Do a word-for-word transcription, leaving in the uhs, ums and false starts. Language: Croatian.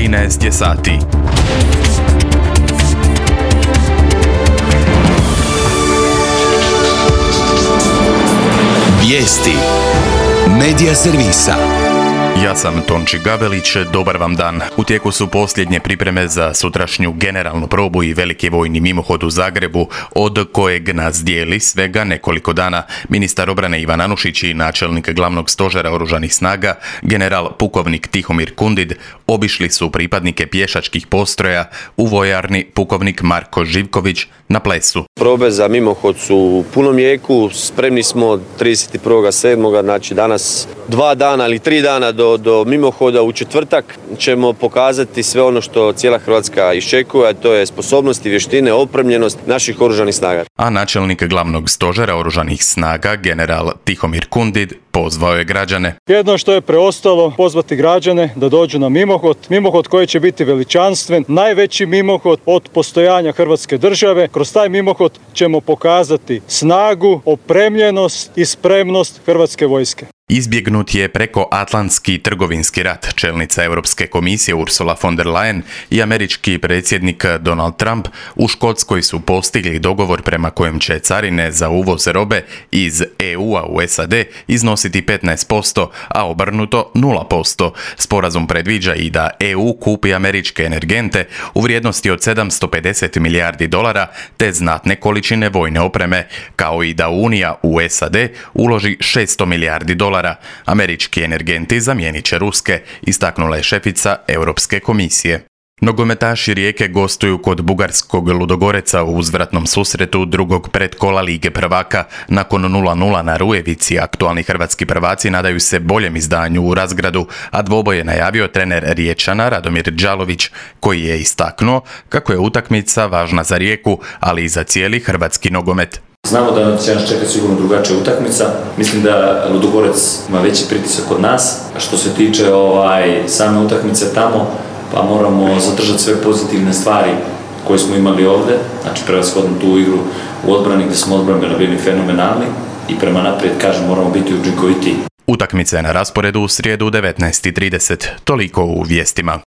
trinaest je sati. Vijesti Medija servisa. Ja sam Tonči Gabelić, dobar vam dan. U tijeku su posljednje pripreme za sutrašnju generalnu probu i veliki vojni mimohod u Zagrebu, od kojeg nas dijeli svega nekoliko dana. Ministar obrane Ivan Anušić i načelnik glavnog stožera oružanih snaga, general pukovnik Tihomir Kundid, obišli su pripadnike pješačkih postroja u vojarni pukovnik Marko Živković na Plesu. Probe za mimohod su u punom jeku, spremni smo trideset prvog sedmog znači danas dva dana ili tri dana do, do mimohoda. U četvrtak ćemo pokazati sve ono što cijela Hrvatska iščekuje, a to je sposobnost i vještine, opremljenost naših oružanih snaga. A načelnik glavnog stožera oružanih snaga, general Tihomir Kundid, pozvao je građane. Jedno što je preostalo, pozvati građane da dođu na mimohod, mimohod koji će biti veličanstven, najveći mimohod od postojanja Hrvatske države. Kroz taj mimohod ćemo pokazati snagu, opremljenost i spremnost Hrvatske vojske. Izbjegnut je prekoatlantski trgovinski rat. Čelnica Europske komisije Ursula von der Leyen i američki predsjednik Donald Trump u Škotskoj su postigli dogovor prema kojem će carine za uvoz robe iz E U-a u S A D iznositi petnaest posto, a obrnuto nula posto. Sporazum predviđa i da E U kupi američke energente u vrijednosti od sedamsto pedeset milijardi dolara te znatne količine vojne opreme, kao i da Unija u S A D uloži šesto milijardi dolara. Američki energenti zamijenit će ruske, istaknula je šefica Europske komisije. Nogometaši Rijeke gostuju kod bugarskog Ludogoreca u uzvratnom susretu drugog predkola Lige prvaka. Nakon nula nula na Rujevici, aktualni hrvatski prvaci nadaju se boljem izdanju u Razgradu, a dvoboj je najavio trener Riječana Radomir Đalović, koji je istaknuo kako je utakmica važna za Rijeku, ali i za cijeli hrvatski nogomet. Znamo da će nas čekati sigurno drugačija utakmica. Mislim da Ludogorec ima veći pritisak od nas. A što se tiče ovaj, same utakmice tamo, pa moramo zadržati sve pozitivne stvari koje smo imali ovdje. Znači prevashodno tu igru u odbrani gdje smo odbrambeno bili fenomenalni i prema naprijed, kažem, moramo biti učinkovitiji. Utakmica je na rasporedu u srijedu u devetnaest i trideset. Toliko u vijestima.